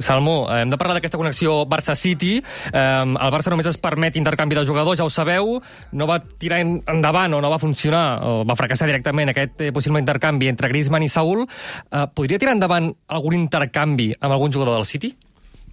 Salmo, hem de parlar d'aquesta connexió Barça-City. El Barça només es permet intercanvi de jugadors, ja ho sabeu. No va tirar endavant o no va funcionar, o va fracassar directament aquest possible intercanvi entre Griezmann i Saúl. Podria tirar endavant algun intercanvi amb algun jugador del City?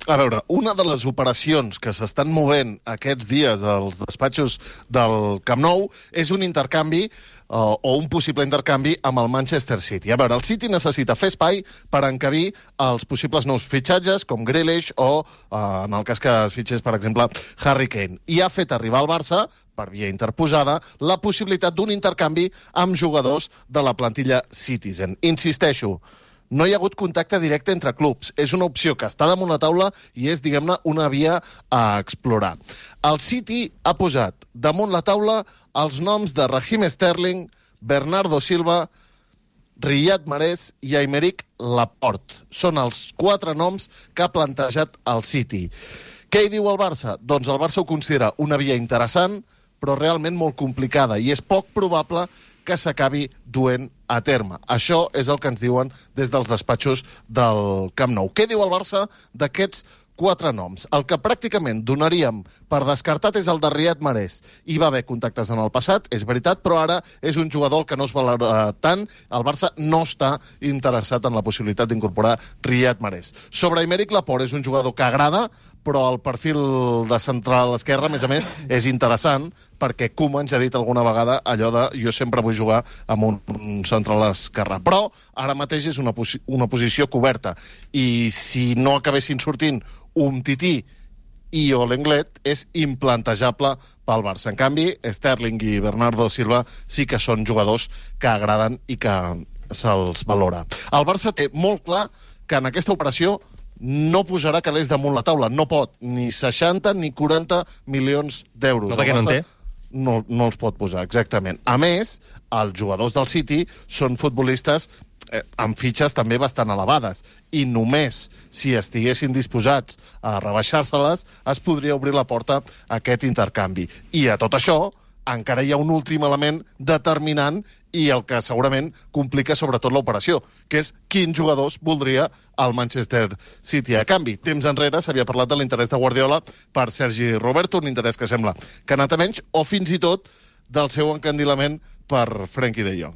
A veure, una de les operacions que s'estan movent aquests dies als despatxos del Camp Nou és un intercanvi o un possible intercanvi amb el Manchester City. A veure, el City necessita fer espai per encabir els possibles nous fitxatges, com Grealish o, en el cas que es fitxés, per exemple, Harry Kane. I ha fet arribar al Barça, per via interposada, la possibilitat d'un intercanvi amb jugadors de la plantilla Citizen. Insisteixo, no hi ha hagut contacte directe entre clubs. És una opció que està damunt la taula i és, diguem-ne, una via a explorar. El City ha posat damunt la taula els noms de Raheem Sterling, Bernardo Silva, Riyad Mahrez i Aymeric Laporte. Són els 4 noms que ha plantejat el City. Què hi diu el Barça? Doncs el Barça ho considera una via interessant, però realment molt complicada, i és poc probable que s'acabi duent a terme. Això és el que ens diuen des dels despatxos del Camp Nou. Què diu el Barça d'aquests 4 noms? El que pràcticament donaríem per descartat és el de Riyad Mahrez. Hi va haver contactes en el passat, és veritat, però ara és un jugador que no es valora tant. El Barça no està interessat en la possibilitat d'incorporar Riyad Mahrez. Sobre Aymeric Laporte, és un jugador que agrada, però el perfil de central esquerra, a més, és interessant, perquè Koeman ja ha dit alguna vegada allò de jo sempre vull jugar amb un central esquerra. Però ara mateix és una posició coberta. I si no acabessin sortint Umtiti i Lenglet, és implantejable pel Barça. En canvi, Sterling i Bernardo Silva sí que són jugadors que agraden i que se'ls valora. El Barça té molt clar que en aquesta operació no posarà calés damunt la taula. No pot ni 60 ni 40 milions d'euros. No, perquè no en té. No els pot posar, exactament. A més, els jugadors del City són futbolistes amb fitxes també bastant elevades, i només si estiguessin disposats a rebaixar-se-les es podria obrir la porta a aquest intercanvi. I a tot això encara hi ha un últim element determinant i el que segurament complica sobretot l'operació, que és quins jugadors voldria el Manchester City a canvi. Temps enrere s'havia parlat de l'interès de Guardiola per Sergi Roberto, un interès que sembla que ha anat a menys, o fins i tot del seu encandilament per Frenkie de Jong.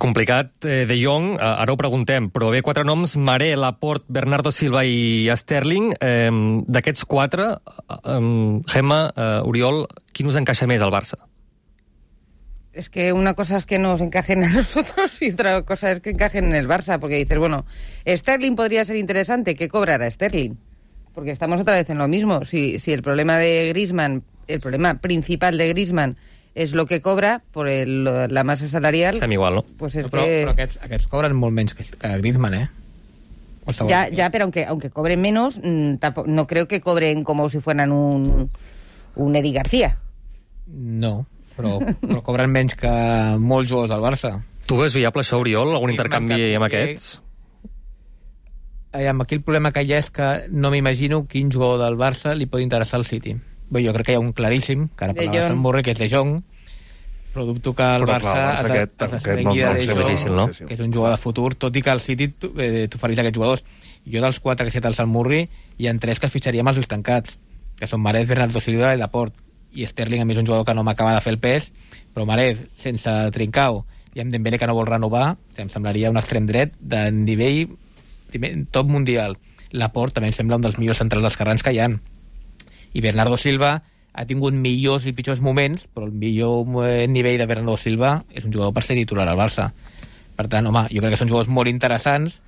Complicat, De Jong, ara ho preguntem, però bé, 4 noms: Mahrez, Laporte, Bernardo Silva i Sterling. D'aquests 4, Gemma, Oriol, qui us encaixa més al Barça? Es que una cosa es que nos encajen a nosotros y otra cosa es que encajen en el Barça, porque dices, bueno, Sterling podría ser interesante, ¿qué cobrará Sterling? Porque estamos otra vez en lo mismo. Si el problema de Griezmann, el problema principal de Griezmann és lo que cobra per la massa salarial... Estem igual, no? Pues es però aquests cobren molt menys que Griezmann, ¿eh? Ya, pero aunque cobren menos, no creo que cobren como si fueran un Eric García. No, però cobren menys que molts jugadors del Barça. Tu veus viable això, Oriol? Algun intercanvi amb aquests? Aquí el problema que hi ha és que no m'imagino quin jugador del Barça li pot interessar al City. Bé, jo crec que hi ha un claríssim, que ara parlava de Sant Borre, que és De Jong, però dubto que el Barça es desprengui de De Jong, que és un jugador de futur, tot i que el City t'ofereix aquests jugadors. Jo dels 4 que he citat al Sant Murri, hi ha 3 que fitxaríem els ulls tancats, que són Mahrez, Bernardo Silva i Laporte. I Sterling, a mi, és un jugador que no m'acaba de fer el pes, però Mahrez, sense Trincao, i amb Dembélé, que no vol renovar, em semblaria un extrem dret de nivell top mundial. Laporte també em sembla un dels millors centrals esquerrans que hi ha. I Bernardo Silva ha tingut millors i pitjors moments, però el millor nivell de Bernardo Silva és un jugador per ser titular al Barça. Per tant, home, jo crec que són jugadors molt interessants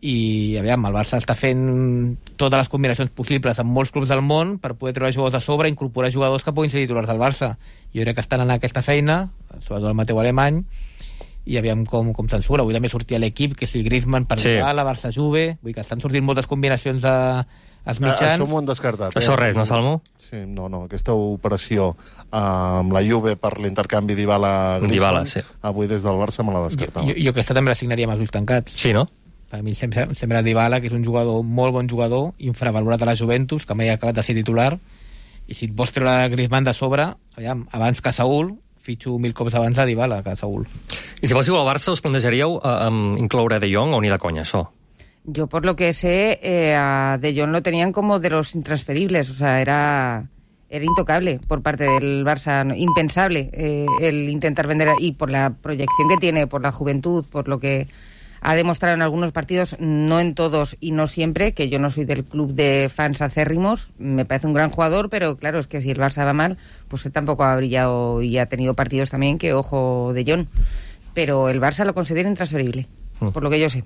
i, aviam, el Barça està fent totes les combinacions possibles amb molts clubs del món per poder treure jugadors a sobre i incorporar jugadors que puguin ser titulars del Barça. Jo crec que estan en aquesta feina, sobretot el Mateu Alemany, i aviam com se'n surt. Avui també sortia l'equip, que si Griezmann per la Barça-Juve, vull que estan sortint moltes combinacions als mitjans. Això m'ho han descartat. Això res, no, Salmo? Sí, no, aquesta operació amb la Juve per l'intercanvi Dybala-Griezmann, sí. Avui des del Barça me l'ha descartat. Jo aquesta també la signaria amb els ulls tancats. Sí, no? Per mi sembla Dybala, que és un jugador, molt bon jugador, infravalorat a la Juventus, que mai ha acabat de ser titular, i si et vols treure Griezmann de sobre, aviam, abans que Saúl, fitxo 1000 cops abans a Dybala que a Saúl. I si fóssiu al Barça, us plantejaríeu incloure De Jong o ni de conya, això? Yo, por lo que sé, a De Jong lo tenían como de los intransferibles, o sea, era intocable por parte del Barça, impensable el intentar vender, y por la proyección que tiene, por la juventud, por lo que ha demostrado en algunos partidos, no en todos y no siempre, que yo no soy del club de fans acérrimos, me parece un gran jugador, pero claro, es que si el Barça va mal, pues él tampoco ha brillado y ha tenido partidos también que, ojo, De Jong. Pero el Barça lo considera intransferible, por lo que yo sé.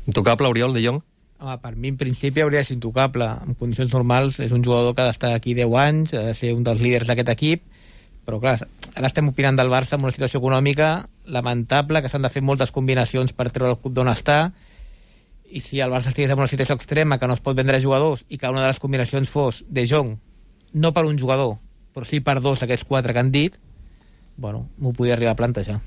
Intocable, Oriol, De Jong? Home, per mi, en principi, hauria de ser intocable. En condicions normals, és un jugador que ha d'estar aquí 10 anys, ha de ser un dels líders d'aquest equip, però, clar, ara estem opinant del Barça amb una situació econòmica lamentable, que s'han de fer moltes combinacions per treure el club d'on està, i si el Barça estigués en una situació extrema que no es pot vendre jugadors i que una de les combinacions fos De Jong, no per un jugador, però sí per dos d'aquests 4 que han dit, bueno, m'ho podia arribar a plantejar.